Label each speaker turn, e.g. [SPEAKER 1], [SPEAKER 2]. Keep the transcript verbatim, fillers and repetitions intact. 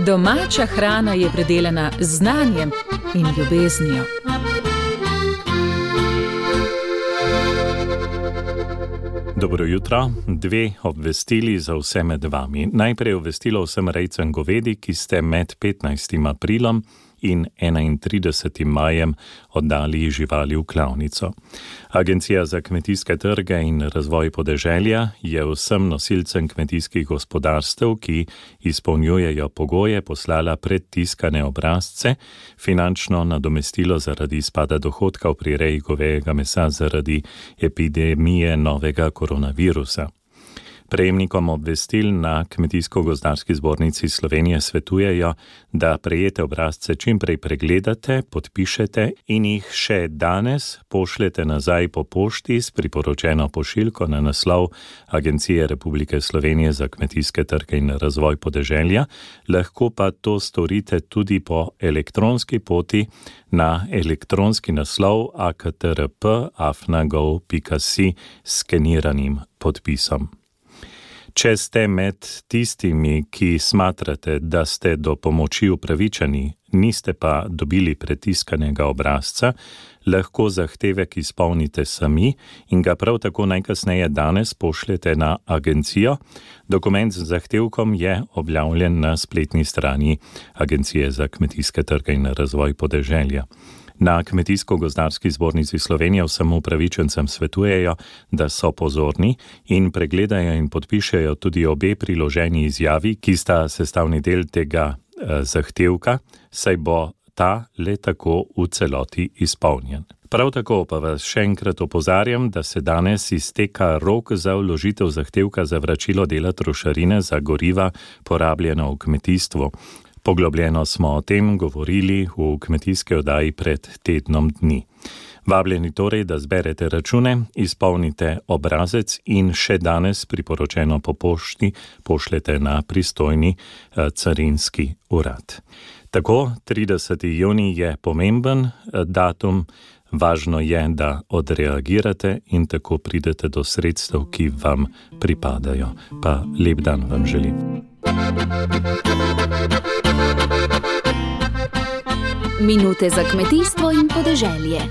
[SPEAKER 1] Domača hrana je predelana z znanjem in ljubeznijo.
[SPEAKER 2] Dobro jutro, dve obvestili za vse med vami. Najprej obvestilo vsem rejcem govedi, ki ste med petnajstim aprilom in enaintridesetim majem oddali živali v klavnico. Agencija za kmetijske trge in razvoj podeželja je vsem nosilcem kmetijskih gospodarstev, ki izpolnjujejo pogoje, poslala predtiskane obrazce, finančno nadomestilo zaradi izpada dohodka pri reji govejega mesa zaradi epidemije novega koronavirusa. Prejemnikom obvestil na Kmetijsko-gozdarski zbornici Slovenije svetujejo, da prejete obrazce čimprej pregledate, podpišete in jih še danes pošljete nazaj po pošti s priporočeno pošiljko na naslov Agencije Republike Slovenije za kmetijske trge in razvoj podeželja, lahko pa to storite tudi po elektronski poti na elektronski naslov a k t r p afna gov pika si s skeniranim podpisom. Če ste med tistimi, ki smatrate, da ste do pomoči upravičeni, niste pa dobili pretiskanega obrazca, lahko zahtevek izpolnite sami in ga prav tako najkasneje danes pošljete na agencijo. Dokument z zahtevkom je objavljen na spletni strani Agencije za kmetijske trge in razvoj podeželja. Na Kmetijsko-gozdarski zbornici Slovenije vsem upravičencem svetujejo, da so pozorni in pregledajo in podpišejo tudi obe priloženi izjavi, ki sta sestavni del tega eh, zahtevka, saj bo ta le tako v celoti izpolnjen. Prav tako pa vas še enkrat opozarjam, da se danes izteka rok za vložitev zahtevka za vračilo dela trošarine za goriva porabljena v kmetijstvu. Poglobljeno smo o tem govorili v kmetijski oddaji pred tednom dni. Vabljeni torej, da zberete račune, izpolnite obrazec in še danes priporočeno po pošti pošljete na pristojni eh, carinski urad. Tako, trideseti junij je pomemben eh, datum, važno je, da odreagirate in tako pridete do sredstev, ki vam pripadajo. Pa lep dan vam želim.
[SPEAKER 3] Minute za kmetijstvo in podeželje.